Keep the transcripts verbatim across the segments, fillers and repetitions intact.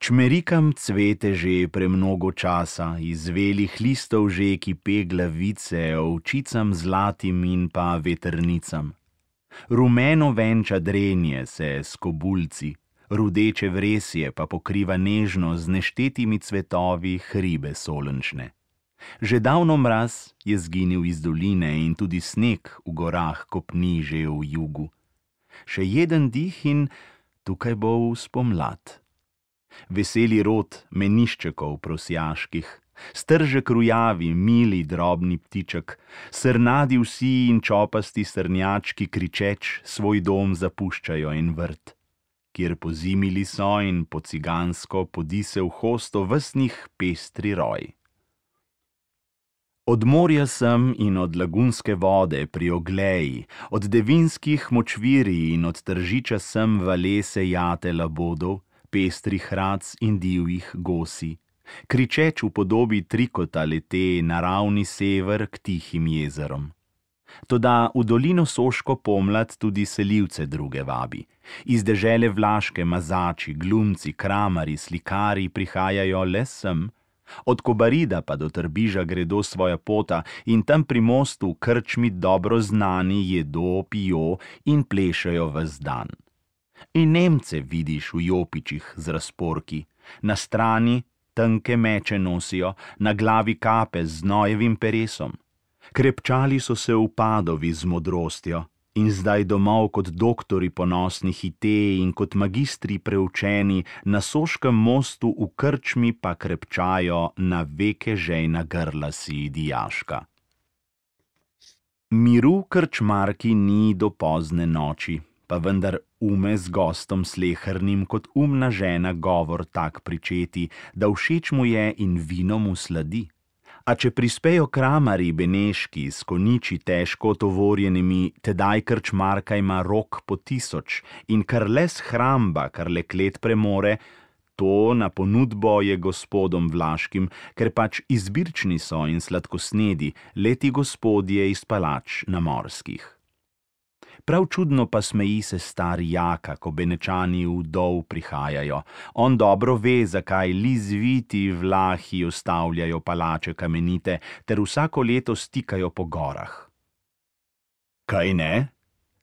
Čmerikam cvete že premnogo časa, iz velih listov že kipe glavice, ovčicam zlatim in pa vetrnicam. Rumeno venča drenje se s kobulci, rudeče vresje pa pokriva nežno z neštetimi cvetovi hribe solenčne. Že davno mraz je zginil iz doline in tudi sneg v gorah kopni že v jugu. Še jeden dih in tukaj bo spomlad. Veseli rod meniščekov prosjaških, stržek rujavi, mili drobni ptiček, srnadi vsi in čopasti srnjački kričeč svoj dom zapuščajo in vrt, kjer pozimili so in po cigansko podi se v hosto vsnih pestri roj. Od morja sem in od lagunske vode pri Ogleji, od devinskih močvirij in od tržiča sem valese jate labodov, pestrih rac in divjih gosi, kričeč v podobi trikota lete naravni sever k tihim jezerom. Toda v dolino Soško pomlad tudi selivce druge vabi. Iz dežele Vlaške mazači, glumci, kramari, slikari prihajajo le sem, od Kobarida pa do Trbiža gredo svoja pota in tam pri mostu v krčmi dobro znani jedo, pijo in plešajo ves dan. In Nemce vidiš v jopičih z razporki, na strani tanke meče nosijo, na glavi kape z znojevim peresom. Krepčali so se v Padovi z modrostjo in zdaj domov kot doktori ponosni hite in kot magistri preučeni na Soškem mostu v krčmi pa krepčajo na veke žejna grla si dijaška. Miru krčmarki ni do pozne noči, pa vendar ume z gostom slehernim kot umna žena govor tak pričeti, da všeč mu je in vino mu sladi. A če prispejo kramari beneški s koniči težko tovorjenimi, tedaj krčmarka ima rok po tisoč in kar le shramba, kar le klet premore, to na ponudbo je gospodom vlaškim, ker pač izbirčni so in sladkosnedi, leti gospodje iz palač na morskih. Prav čudno pa smeji se stari Jaka, ko Benečani v dol prihajajo. On dobro ve, zakaj lizviti Vlahi ustavljajo palače kamenite, ter vsako leto stikajo po gorah. Kaj ne?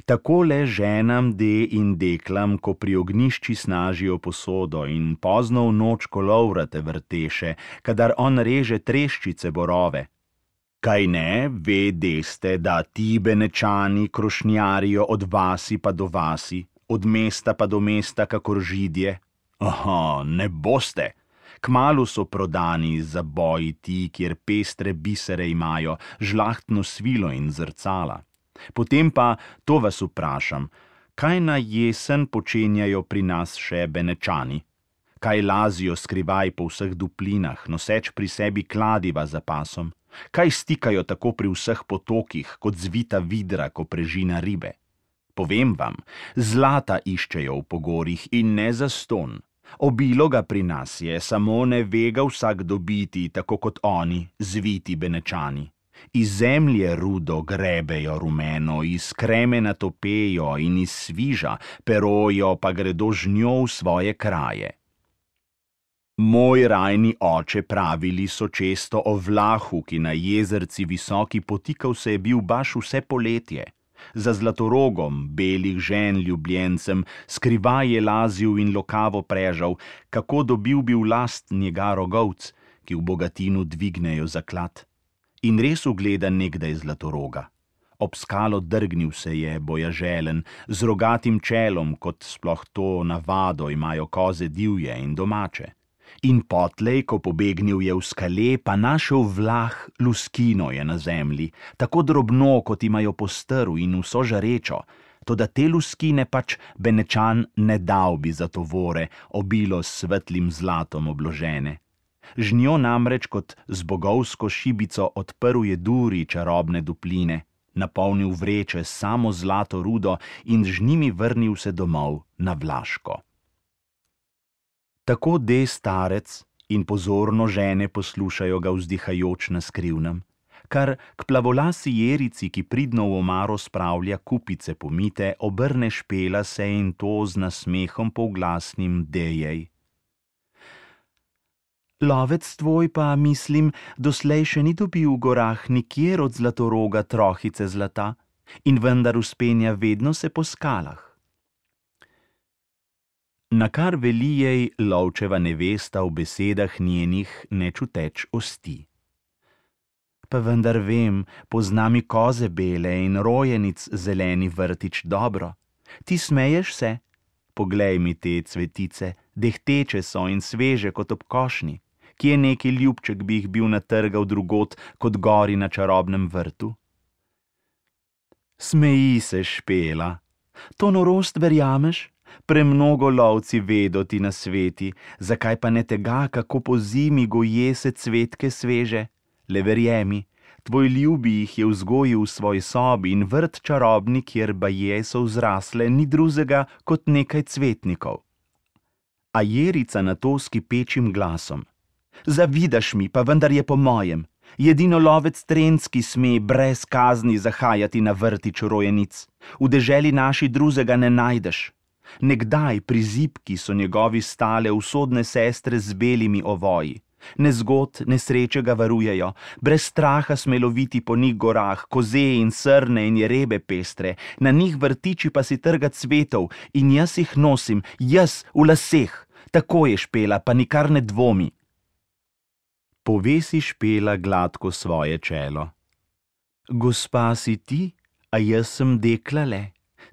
Takole ženam de in deklam, ko pri ognišči snažijo posodo in pozno v noč kolovrate vrteše, kadar on reže treščice borove. Kaj ne, ve deste, da ti Benečani krošnjarijo od vasi pa do vasi, od mesta pa do mesta, kakor židje? Aha, ne boste. Kmalu so prodani za boji ti, kjer pestre bisere imajo, žlahtno svilo in zrcala. Potem pa, to vas vprašam, kaj na jesen počenjajo pri nas še Benečani? Kaj lazijo skrivaj po vseh duplinah, noseč pri sebi kladiva za pasom? Kaj stikajo tako pri vseh potokih, kot zvita vidra, ko prežina ribe? Povem vam, zlata iščejo v pogorjih in ne zaston. Obilo ga pri nas je, samo ne ve ga vsak dobiti, tako kot oni, zviti Benečani. Iz zemlje rudo grebejo rumeno, iz kremena topejo in iz sviža, perojo pa gredo z njo v svoje kraje. Moj rajni oče pravili so često o Vlahu, ki na jezerci visoki potikal se je bil baš vse poletje. Za Zlatorogom, belih žen ljubljencem, skrivaj je lazil in lokavo prežal, kako dobil bi v last njega rogovc, ki v Bogatinu dvignejo zaklad. In res ugleda nekdaj Zlatoroga. Ob skalo drgnil se je, bojaželen, z rogatim čelom, kot sploh to navado imajo koze divje in domače. In potlej, ko pobegnil je v skale, pa našel Vlah luskino je na zemlji, tako drobno, kot imajo po strv in vso žarečo, toda te luskine pač Benečan ne dal bi za tovore, obilo s svetlim zlatom obložene. Z njo namreč kot z bogovsko šibico odprl je duri čarobne dupline, napolnil vreče s samo zlato rudo in z njimi vrnil se domov na Vlaško. Tako de starec in pozorno žene poslušajo ga vzdihajoč na skrivnem, kar k plavolasi jerici, ki pridno v omaro spravlja kupice pomite, obrne špela se in to z nasmehom polglasnim dejej. Lovec tvoj pa, mislim, doslej še ni dobil v gorah nikjer od Zlatoroga trohice zlata in vendar vzpenja vedno se po skalah. Nakar veli jej lovčeva nevesta v besedah njenih nečuteč osti. Pa vendar vem, pozna mi koze bele in rojenic zeleni vrtič dobro. Ti smeješ se? Poglej mi te cvetice, dehteče so in sveže kot ob košnji. Kje neki ljubček bi jih bil natrgal drugot kot gori na čarobnem vrtu? Smeji se, Špela. To norost verjameš? Premnogo lovci vedo ti na sveti, zakaj pa ne tega, kako po zimi goje se cvetke sveže? Le verjemi, tvoj ljubi jih je vzgojil v svoji sobi in vrt čarobni, kjer baje so vzrasle, ni drugega kot nekaj cvetnikov. A Jerica na to s kipečim glasom. Zavidaš mi, pa vendar je po mojem. Jedino lovec Trenski sme brez kazni zahajati na vrtič rojenic. V deželi naši drugega ne najdeš. Nekdaj pri zibki so njegovi stale usodne sestre z belimi ovoji. Nezgod, nesreče ga varujejo, brez straha smeloviti po njih gorah, koze in srne in jerebe pestre, na njih vrtiči pa si trga cvetov in jaz jih nosim, jaz v laseh. Tako je, Špela, pa nikar ne dvomi. Povesi Špela gladko svoje čelo. Gospa si ti, a jaz sem dekla le.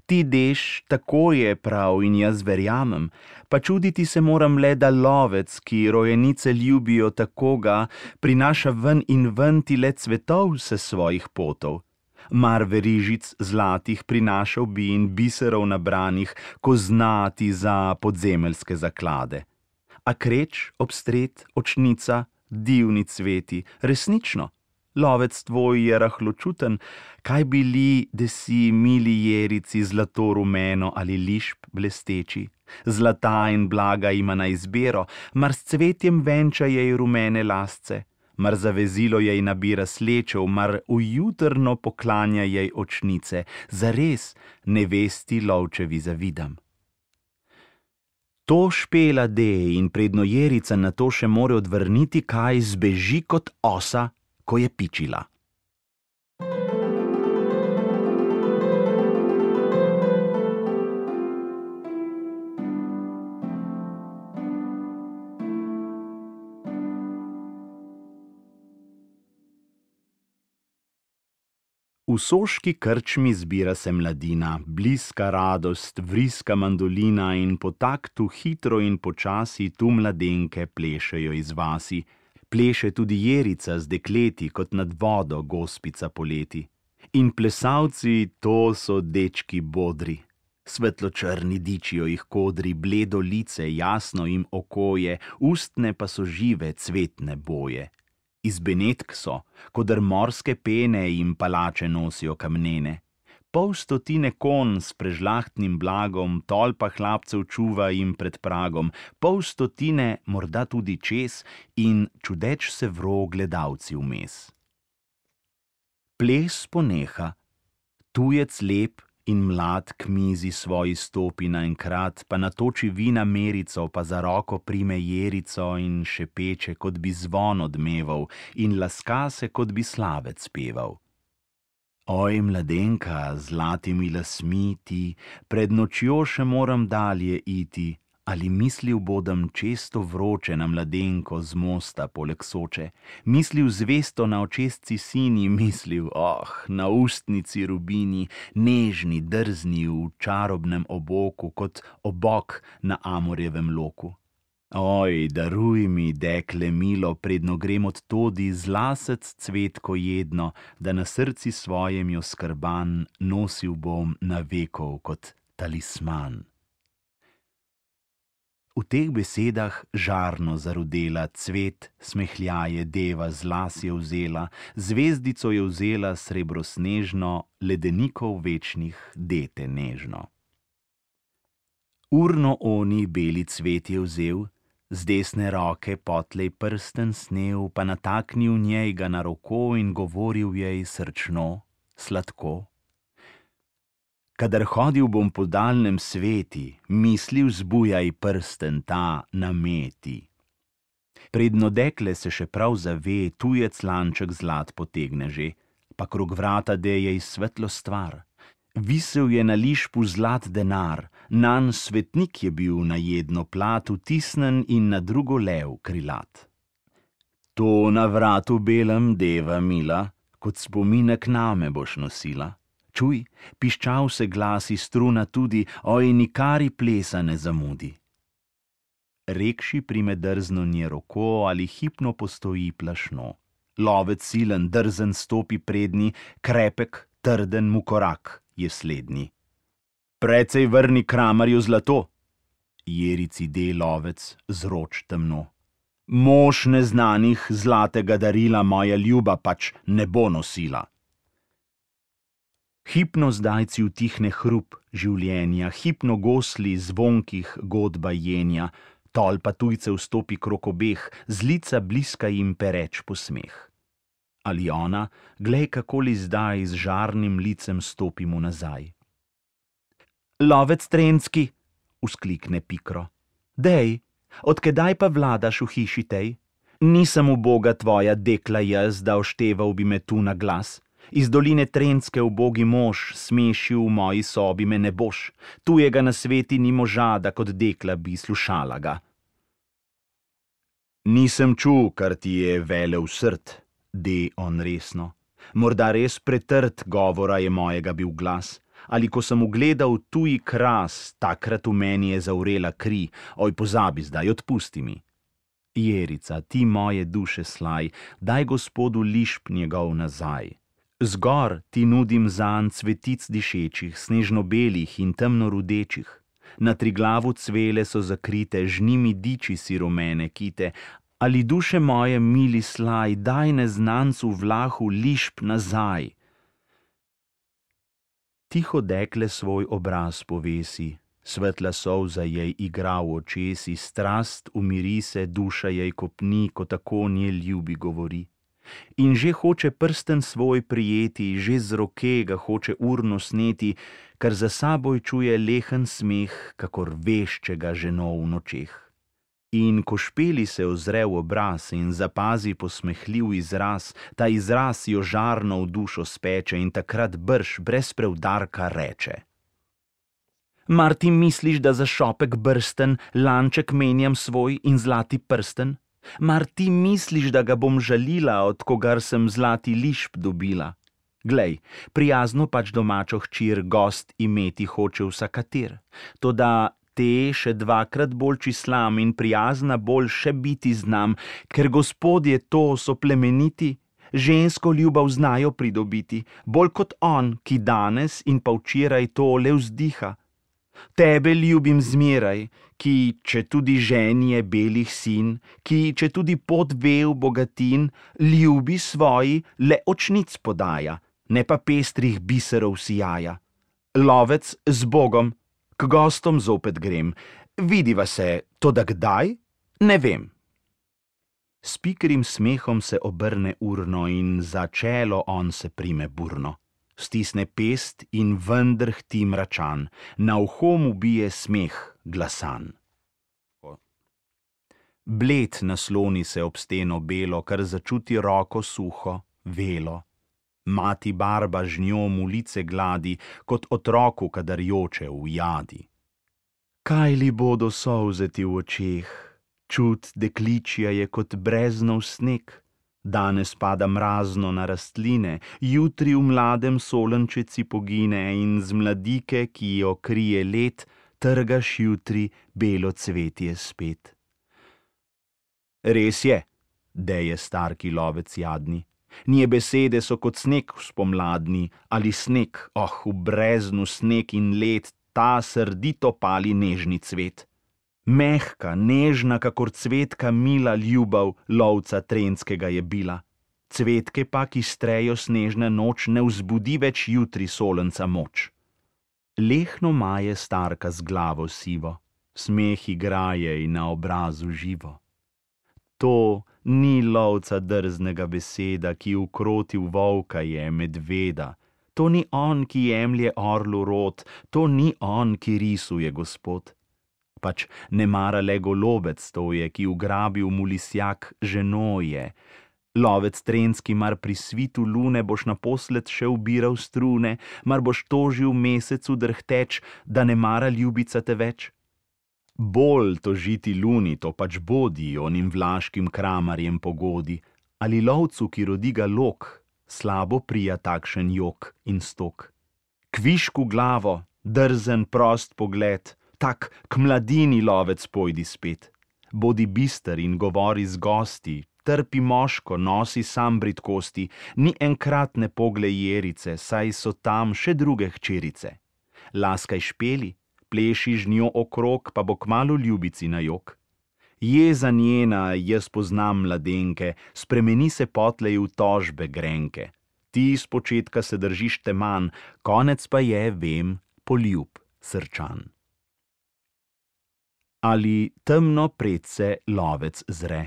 Ti deš, tako je prav in jaz verjamem, pa čuditi se moram le, da lovec, ki rojenice ljubijo tako ga, prinaša ven in ven ti le cvetov se svojih potov. Mar verižic zlatih prinašal bi in biserov nabranih, ko znati za podzemeljske zaklade. A kreč, obstret, očnica, divni cveti, resnično, lovec tvoj je rahločuten, kaj bili, da si mili Jerici zlato rumeno ali lišp blesteči, zlata in blaga ima na izbiro, mar s cvetjem venča jej rumene lasce, mar za vezilo jej nabira slečev, mar ujutrno poklanja jej očnice, zares nevesti lovčevi zavidam. To Špela de in predno Jerica na to še more odvrniti, kaj zbeži kot osa, ko je pičila. V soški krčmi zbira se mladina, bliska radost, vriska mandolina in po taktu hitro in počasi tu mladenke plešejo iz vasi. Pleše tudi Jerica z dekleti kot nad vodo gospica poleti. In plesalci, to so dečki bodri. Svetločrni dičijo jih kodri, bledo lice, jasno jim okoje, ustne pa so žive cvetne boje. Iz benetk so, kodr morske pene jim palače nosijo kamnene. Pol stotine kon s prežlahtnim blagom, tolpa hlapcev čuva jim pred pragom, pol stotine, morda tudi čez, in čudeč se vro gledalci vmes. Ples poneha, tujec lep in mlad k mizi svoji stopi naenkrat, pa natoči vina merico, pa za roko prime Jerico in šepeče, kot bi zvon odmeval, in laska se, kot bi slavec peval. Oj, mladenka, zlatimi lasmi ti, pred nočjo še moram dalje iti, ali mislil bodem često vroče na mladenko z mosta poleg Soče, mislil zvesto na očesci sini, mislil, oh, na ustnici rubini, nežni, drzni v čarobnem oboku, kot obok na amorjevem loku. Oj, daruj mi, dekle milo, predno grem od todi, zlasec cvetko jedno, da na srci svojem jo skrban nosil bom na vekov kot talisman. V teh besedah žarno zarudela cvet, smehljaje deva z las je vzela, zvezdico je vzela srebrosnežno, ledenikov večnih dete nežno. Urno oni beli cvet je vzel, z desne roke potlej prsten snel, pa nataknil njej ga na roko in govoril jej srčno, sladko. Kadar hodil bom po daljnem sveti, misli vzbujaj prsten ta nameti. Predno dekle se še prav zave, tujec lanček zlat potegne že, pa krog vrata deje iz svetlo stvar. Visel je na lišpu zlat denar, nan svetnik je bil na jedno plat vtisnen in na drugo lev krilat. To na vratu belem, deva mila, kot spominek name boš nosila. Čuj, piščal se glasi struna tudi, oj, nikari plesa ne zamudi. Rekši prime drzno nje roko ali hipno postoji plašno. Lovec silen, drzen stopi prednji, krepek, trden mu korak je slednji. Precej vrni kramarju zlato, jerici de lovec zroč temno. Mož neznanih zlatega darila moja ljuba pač ne bo nosila. Hipno zdajci utihne hrup življenja, hipno gosli zvonkih godba jenja, tolpa tujcev stopi krok obeh, z lica bliska jim pereč posmeh. Ali ona, glej, kakoli zdaj z žarnim licem stopi mu nazaj. Lovec Trenski, vzklikne pikro, dej, odkedaj pa vladaš v hiši tej? Nisem uboga tvoja dekla jaz, da ošteval bi me tu na glas. Iz doline Trenske ubogi mož, smešil v moji sobi me ne boš, tujega na sveti ni moža, da kot dekla bi slušala ga. Nisem čul, kar ti je velel srd, de on resno. Morda res pretrd govora je mojega bil glas, ali ko sem ugledal tuji kras, takrat v meni je zavrela kri, oj, pozabi zdaj, odpusti mi. Jerica, ti moje duše slaj, daj gospodu lišp njegov nazaj. Zgor ti nudim zanj cvetic dišečih, snežno-belih in temno-rudečih. Na Triglavu cvele so zakrite, žnimi diči si rumene kite, ali duše moje mili slaj, daj neznancu vlahu lišp nazaj. Tiho dekle svoj obraz povesi, svetla solza jej igra v očesi, strast umiri se, duša jej kopni, ko tako nje ljubi govori. In že hoče prsten svoj prijeti, že z roke ga hoče urno sneti, ker za saboj čuje lehen smeh, kakor veščega ženo v nočeh. In ko špeli se ozre v obraz in zapazi posmehljiv izraz, ta izraz jo žarno v dušo speče in takrat brž brez preudarka reče. Mar ti misliš, da za šopek brsten lanček menjam svoj in zlati prsten? Mar ti misliš, da ga bom žalila, od kogar sem zlati lišp dobila? Glej, prijazno pač domačo hčir gost imeti hoče vsakater, toda te še dvakrat bolj čislam in prijazna bolj še biti znam, ker gospodje to so plemeniti, žensko ljubav znajo pridobiti, bolj kot on, ki danes in pa včeraj to le vzdiha. Tebe ljubim zmeraj, ki, če tudi žen je belih sin, ki, če tudi pot vev bogatin, ljubi svoji le očnic podaja, ne pa pestrih biserov sijaja. Lovec, z Bogom, k gostom zopet grem, vidiva se, toda kdaj? Ne vem. S pikrim smehom se obrne urno in za čelo on se prime burno. Stisne pest in vendar hti mračan, na uho mu bije smeh glasan. Bled nasloni se ob steno belo, kar začuti roko suho, velo. Mati barba z njo mu lice gladi, kot otroku, kadar joče v jadi. Kaj li bodo solze ti v očeh, čut dekličja je kot breznov sneg. Danes pada mrazno na rastline, jutri v mladem solenčeci pogine in z mladike, ki jo krije let, trgaš jutri belo cvetje spet. Res je, deje starki lovec jadni, nje besede so kot sneg spomladni, ali sneg, oh, v breznu sneg in led, ta srdito pali nežni cvet. Mehka, nežna, kakor cvetka mila ljubav lovca Trenskega je bila. Cvetke pa, ki strejo snežna noč, ne vzbudi več jutri solenca moč. Lehno maje starka z glavo sivo, smeh igraje in na obrazu živo. To ni lovca drznega beseda, ki ukrotil volka je medveda. To ni on, ki jemlje orlu rod, to ni on, ki risuje gospod. pač ne mara le golobec to je, ki ugrabil mu lisjak ženoje. Lovec trenski, mar pri svitu lune boš naposled še ubiral strune, mar boš tožil mesecu drhteč, da ne mara ljubica te več? Bolj tožiti luni, to pač bodi, onim vlaškim kramarjem pogodi, ali lovcu, ki rodi ga lok, slabo prija takšen jok in stok. Kvišku glavo, drzen prost pogled, tak k mladini lovec pojdi spet. Bodi bister in govori z gosti, trpi moško, nosi sam bridkosti, ni enkrat ne poglej jerice, saj so tam še druge hčerice. Laskaj špeli, pleši z njo okrog, pa bo kmalu ljubici na jok. Jeza njena, jaz poznam mladenke, spremeni se potlej v tožbe grenke. Ti z početka se držiš teman, konec pa je, vem, poljub srčan. Ali temno predse lovec zre?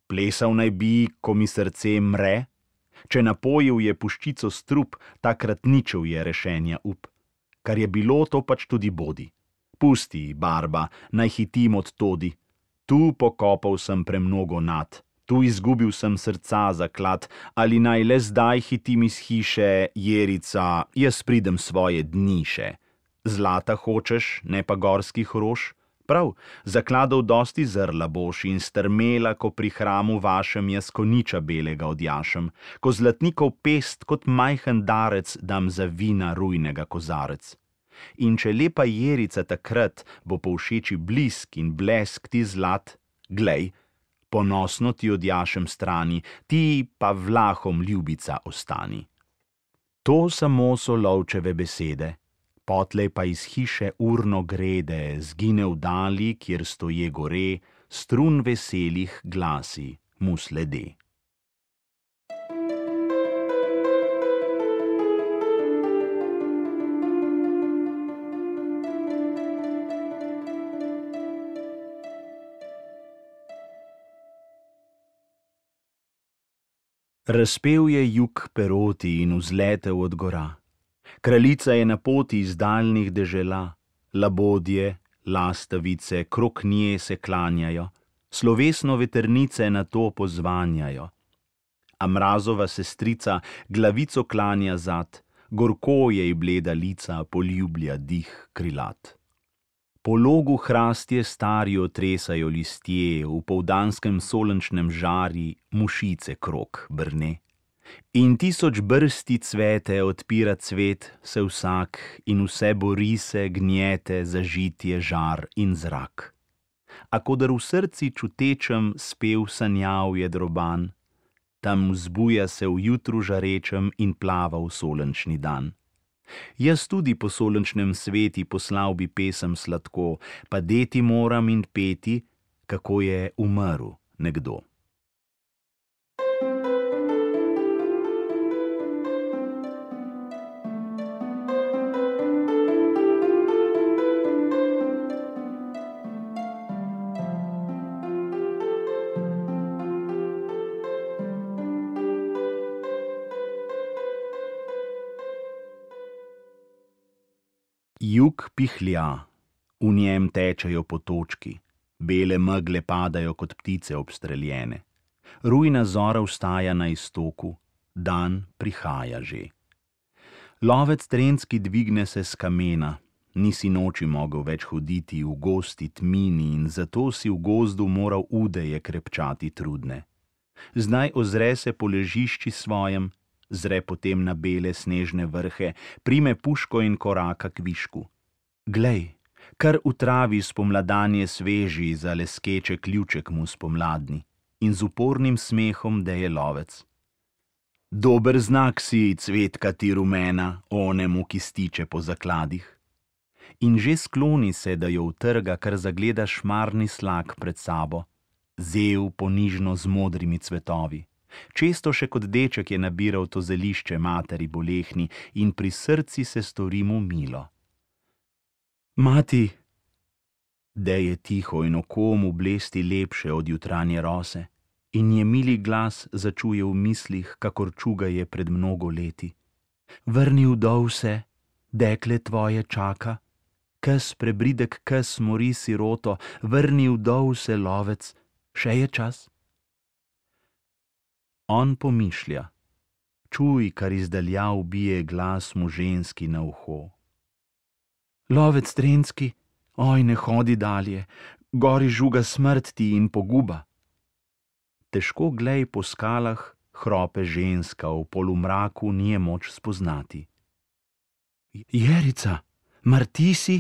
Plesal naj bi, ko mi srce mre? Če napojil je puščico strup, takrat ničev je rešenja up. Kar je bilo, to pač tudi bodi. Pusti, barba, naj hitim od todi. Tu pokopal sem premnogo nad, tu izgubil sem srca zaklad, ali naj le zdaj hitim iz hiše, jerica, jaz pridem svoje dni še. Zlata hočeš, ne pa gorskih rož? Prav, zakladov dosti zrla boš in strmela, ko pri hramu vašem jaz koniča belega odjašem, ko zlatnikov pest kot majhen darec dam za vina rujnega kozarec. In če lepa jerica takrat bo povšeči blisk in blesk ti zlat, glej, ponosno ti odjašem strani, ti pa vlahom ljubica ostani. To samo so lovčeve besede. Potlej pa iz hiše urno grede, zgine v dali, kjer stoje gore, strun veselih glasi mu slede. Razpel je jug peroti in vzletel od gora. Kraljica je na poti iz daljnih dežela, labodje, lastavice, krok nje se klanjajo, slovesno vetrnice na to pozvanjajo. A mrazova sestrica glavico klanja zad, gorko jej bleda lica poljublja dih krilat. Po logu hrastje starijo tresajo listje, v povdanskem solenčnem žari mušice krog brne. In tisoč brsti cvete odpira cvet, se vsak in vse bori se, gnjete, zažitje, žar in zrak. A kodar v srci čutečem spev sanjav je droban, tam vzbuja se v jutru žarečem in plava v solenčni dan. Jaz tudi po solenčnem sveti poslal bi pesem sladko, pa deti moram in peti, kako je umrl nekdo. Jug pihlja, v njem tečejo potočki, bele megle padajo kot ptice obstreljene. Rujna zora vstaja na iztoku, dan prihaja že. Lovec trenski dvigne se s kamena, nisi noči mogel več hoditi v gosti tmini in zato si v gozdu moral udeje krepčati trudne. Zdaj ozre se po ležišči svojem, zre potem na bele snežne vrhe, prime puško in koraka k višku. Glej, kar v travi spomladanje sveži, za leskeče ključek mu spomladni, in z upornim smehom deje lovec. Dober znak si, cvetka ti rumena, onemu, ki stiče po zakladih. In že skloni se, da jo utrga, kar zagleda šmarni slak pred sabo, zel ponižno z modrimi cvetovi. Često še kot deček je nabiral to zelišče materi bolehni in pri srci se stori mu milo. Mati, deje tiho in oko mu blesti lepše od jutranje rose in je mili glas začuje v mislih, kakor čuga je pred mnogo leti. Vrni vdov se, dekle tvoje čaka, Kes prebridek kes mori siroto, vrni vdov se lovec, še je čas. On pomišlja. Čuj, kar izdaljav bije glas mu ženski na uho. Lovec Trenski, oj, ne hodi dalje, gori žuga smrt ti in poguba. Težko glej po skalah, hrope ženska, v polumraku ni je moč spoznati. Jerica, mar ti si?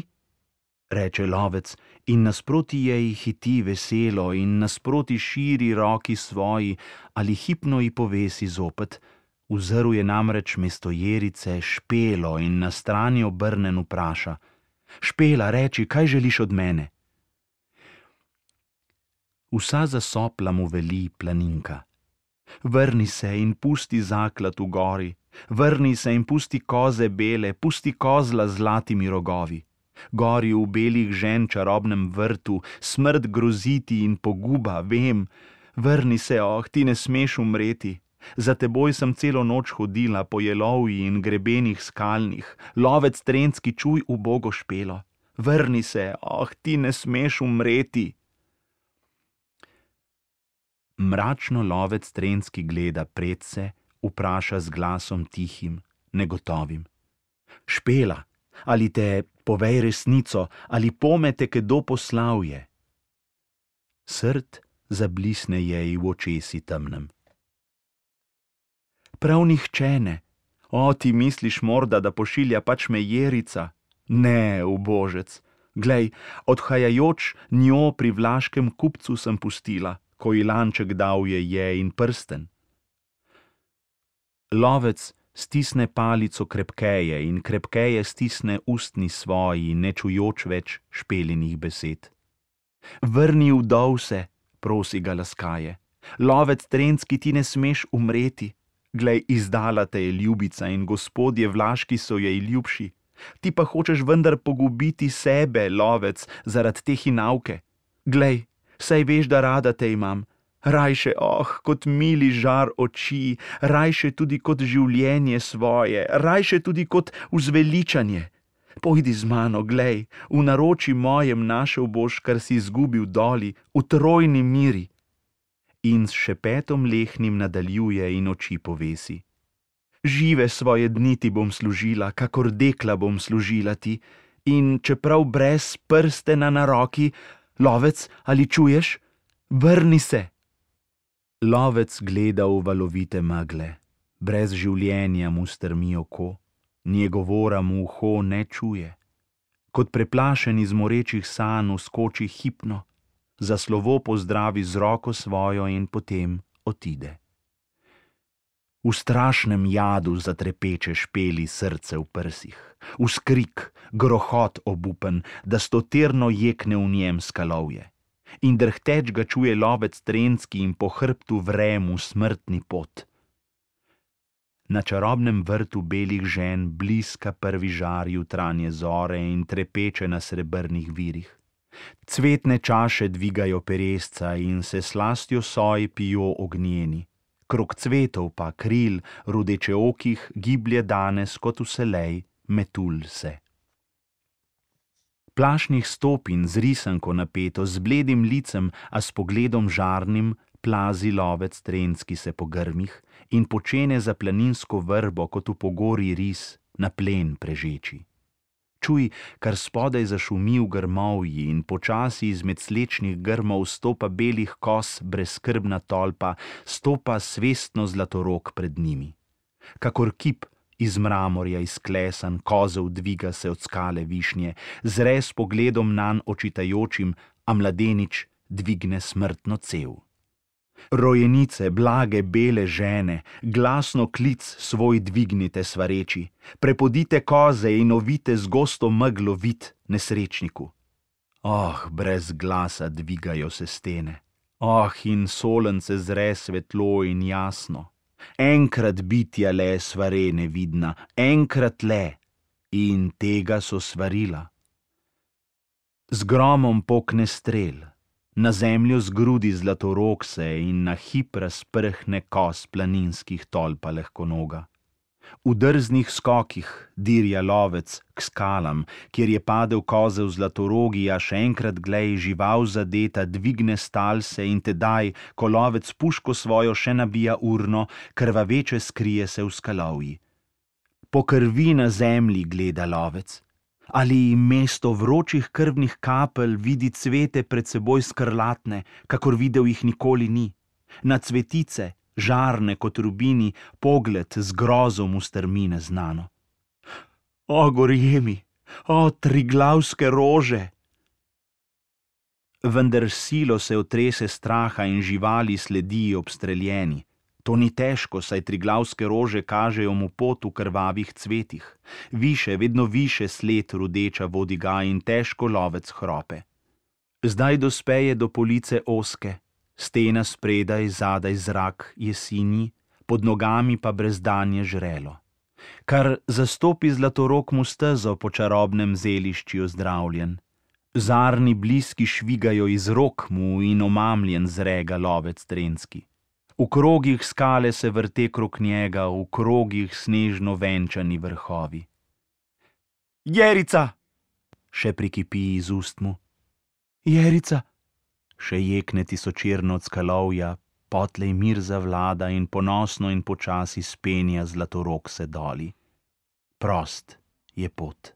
Reče lovec in nasproti jej hiti veselo in nasproti širi roki svoji ali hipno ji povesi zopet. Uzrl je namreč mesto Jerice Špelo in na strani obrnen vpraša. Špela, reči, kaj želiš od mene? Vsa zasopla mu veli planinka. Vrni se in pusti zaklad v gori, vrni se in pusti koze bele, pusti kozla z zlatimi rogovi. Gori v belih žen čarobnem vrtu, smrt groziti in poguba, vem. Vrni se, oh, ti ne smeš umreti. Za teboj sem celo noč hodila po jelovji in grebenih skalnih. Lovec Trenski, čuj ubogo Špelo. Vrni se, oh, ti ne smeš umreti. Mračno lovec Trenski gleda predse, vpraša z glasom tihim, negotovim. Špela, ali te povej resnico, ali pomete, kdo poslal je? Srd zablisne jej v očesi temnem. Prav nihče ne. O, ti misliš morda, da pošilja pač me Jerica? Ne, ubožec. Glej, odhajajoč njo pri vlaškem kupcu sem pustila, ko ji lanček dal je je in prsten. Lovec stisne palico krepkeje in krepkeje stisne ustni svoji, ne čujoč več Špelinih besed. Vrni vdov se, prosi ga laskaje. Lovec Trenski, ti ne smeš umreti. Glej, izdala te je ljubica in gospodje vlaški so jej ljubši. Ti pa hočeš vendar pogubiti sebe, lovec, zaradi te hinavke. Glej, saj veš, da rada te imam. Rajše, oh, kot mili žar oči, rajše tudi kot življenje svoje, rajše tudi kot vzveličanje. Pojdi z mano, glej, v naroči mojem našel boš, kar si izgubil doli, v trojni miri. In s šepetom lehnim nadaljuje in oči povesi. Žive svoje dni ti bom služila, kakor dekla bom služila ti, in čeprav brez prstena na roki, lovec, ali čuješ? Vrni se! Lovec gleda v valovite megle, brez življenja mu strmi oko, njegovora mu uho ne čuje. Kot preplašen iz morečih sanj vskoči hipno, za slovo pozdravi z roko svojo in potem otide. V strašnem jadu zatrepeče Špeli srce v prsih, v skrik, grohot obupen, da stoterno jekne v njem skalovje. In drhteč ga čuje lovec Trenski in po hrbtu vre mu smrtni pot. Na čarobnem vrtu belih žen bliska prvi žar jutranje zore in trepeče na srebrnih virih. Cvetne čaše dvigajo peresca in se slastjo soj pijo ognjeni. Krog cvetov pa kril rudečeokih giblje danes kot vselej metul se. Plašnih stopin z risanko napeto, z bledim licem, a s pogledom žarnim, plazi lovec Trenski se po grmih in počene za planinsko vrbo kot v pogori ris na plen prežeči. Čuj, kar spodaj zašumi v grmovji in počasi izmed slečnih grmov stopa belih kos brezskrbna tolpa, stopa svestno zlatorog pred njimi. Kakor kip iz mramorja izklesan, kozel dviga se od skale višnje, zre s pogledom nanj očitajočim, a mladenič dvigne smrtno cev. Rojenice, blage bele žene, glasno klic svoj dvignite svareči, prepodite koze in ovite z gosto meglo vid nesrečniku. Oh, brez glasa dvigajo se stene, oh, in solence zre svetlo in jasno. Enkrat bitja le svare nevidna, enkrat le, in tega so svarila. Z gromom pokne strel. Na zemljo zgrudi zlatorog se in na hip razprhne kos planinskih tolpa lahkonoga. V drznih skokih dirja lovec k skalam, kjer je padel kozel zlatorogi, a še enkrat glej, žival zadeta dvigne stalse in tedaj, ko lovec puško svojo še nabija urno, krvaveče skrije se v skalovji. Po krvi na zemlji gleda lovec. Ali mesto vročih krvnih kapelj vidi cvete pred seboj skrlatne, kakor videl jih nikoli ni. Na cvetice, žarne kot rubini, pogled z grozom ustrmi neznano. O, gorjemi, o, triglavske rože! Vendar silo se otrese straha in živali sledi obstreljeni. To ni težko, saj triglavske rože kažejo mu pot v krvavih cvetih. Više, vedno više sled rudeča vodi ga in težko lovec hrope. Zdaj dospeje do police oske, stena spredaj, zadaj zrak jeseni, pod nogami pa brezdanje žrelo. Kar zastopi zlatorog mu stezo po čarobnem zelišču ozdravljen. Zarni bliski švigajo iz rok mu in omamljen zrega lovec trenski. V krogih skale se vrte krog njega, v krogih snežno venčani vrhovi. Jerica! Še prikipi iz ust mu. Jerica! Še jekne tisočirno od skalovja, potlej mir zavlada in ponosno in počasi spenja zlatorog se doli. Prost je pot.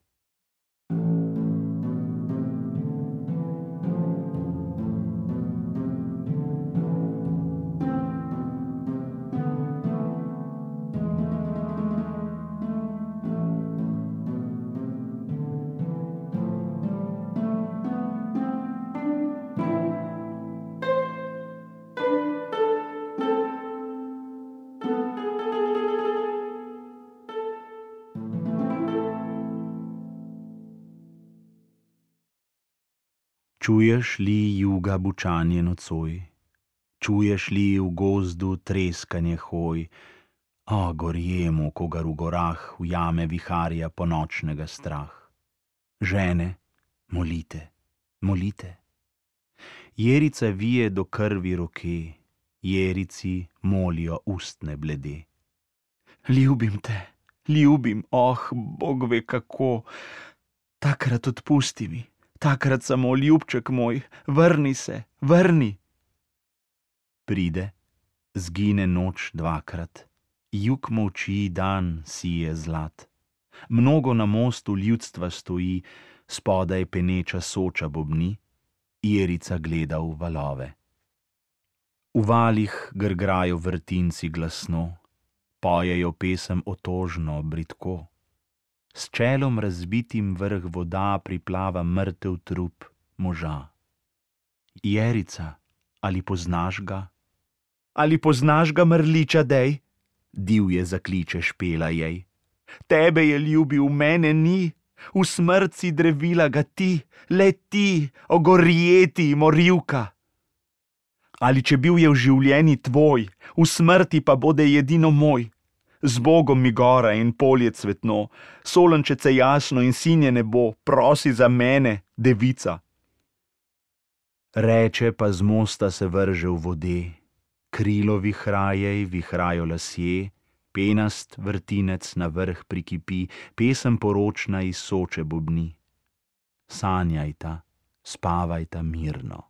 Čuješ li juga bučanje nocoj? Čuješ li v gozdu treskanje hoj? O, gorjemu, kogar v gorah ujame viharja ponočnega strah. Žene, molite, molite. Jerica vije do krvi roke, jerici molijo ustne blede. Ljubim te, ljubim, oh, Bog ve kako, takrat odpusti mi. Takrat samo, ljubček moj, vrni se, vrni. Pride, zgine noč dvakrat, jug molči, dan sije zlat. Mnogo na mostu ljudstva stoji, spodaj peneča Soča bobni, Jerica gleda v valove. V valih grgrajo vrtinci glasno, pojejo pesem otožno, bridko. S čelom razbitim vrh voda priplava mrtev trup moža. Jerica, ali poznaš ga? Ali poznaš ga, mrliča dej? Divje zakliče Špela jej. Tebe je ljubil, mene ni, v smrt si drevila ga ti, le ti, ogorjeti morilka. Ali če bil je v življenji tvoj, v smrti pa bode edino moj. Z Bogom mi gora in polje cvetno, Solenčece jasno in sinje nebo, prosi za mene, devica. Reče pa z mosta se vrže v vode, krilo vihraje, vihrajo lasje, penast vrtinec na vrh prikipi, pesem poročna iz Soče bobni. Sanjajta, spavajta mirno.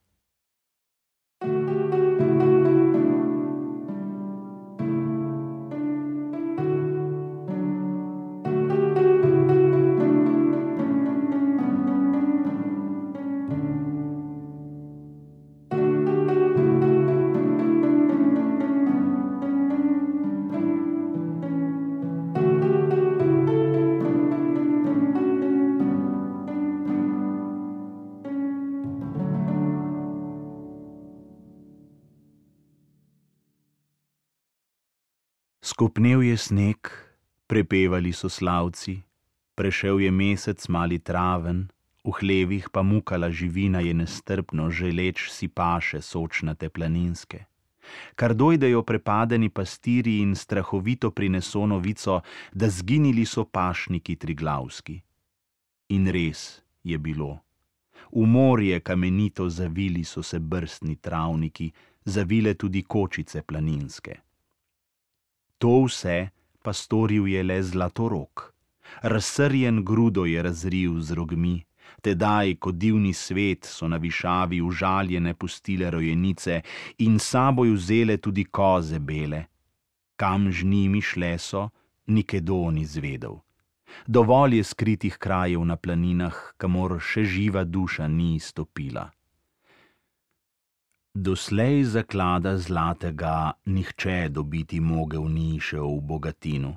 Skopnel je sneg, prepevali so slavci, prešel je mesec mali traven, v hlevih pa mukala živina je nestrpno, želeč si paše sočnate planinske. Kar dojdejo prepadeni pastiri in strahovito prineso novico, da zginili so pašniki triglavski. In res je bilo. V morje kamenito zavili so se brstni travniki, zavile tudi kočice planinske. To vse pa storil je le zlatorog. Razsrjen grudo je razril z rogmi, tedaj, ko divni svet so na višavi užaljene pustile rojenice in saboj vzele tudi koze bele. Kam z njimi šle so, nikedon ni zvedel. Dovolj je skritih krajev na planinah, kamor še živa duša ni stopila. Doslej zaklada zlatega nihče dobiti mogel ni še v Bogatinu.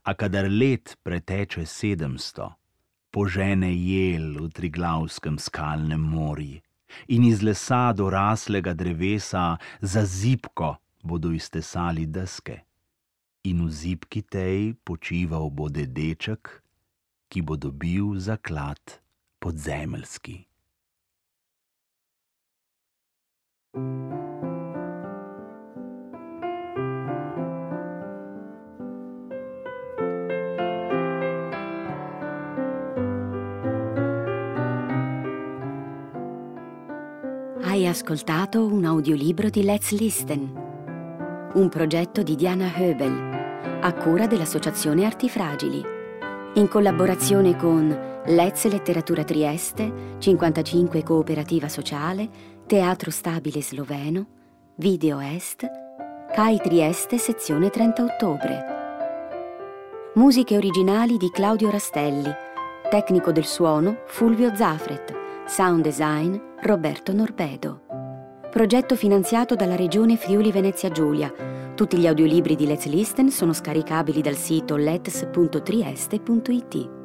A kadar let preteče sedemsto, požene jel v Triglavskem skalnem morji in iz lesa doraslega drevesa za zibko bodo iztesali deske. In v zibki tej počival bo dedeček, ki bo dobil zaklad podzemeljski. Hai ascoltato un audiolibro di Let's Listen, un progetto di Diana Höbel, a cura dell'Associazione Artifragili, in collaborazione con Let's Letteratura Trieste, cinquantacinque Cooperativa Sociale, Teatro Stabile Sloveno, Video Est, C A I Trieste sezione trenta ottobre. Musiche originali di Claudio Rastelli, tecnico del suono Fulvio Zafret, sound design Roberto Norpedo. Progetto finanziato dalla Regione Friuli Venezia Giulia. Tutti gli audiolibri di Let's Listen sono scaricabili dal sito lets punto trieste punto it.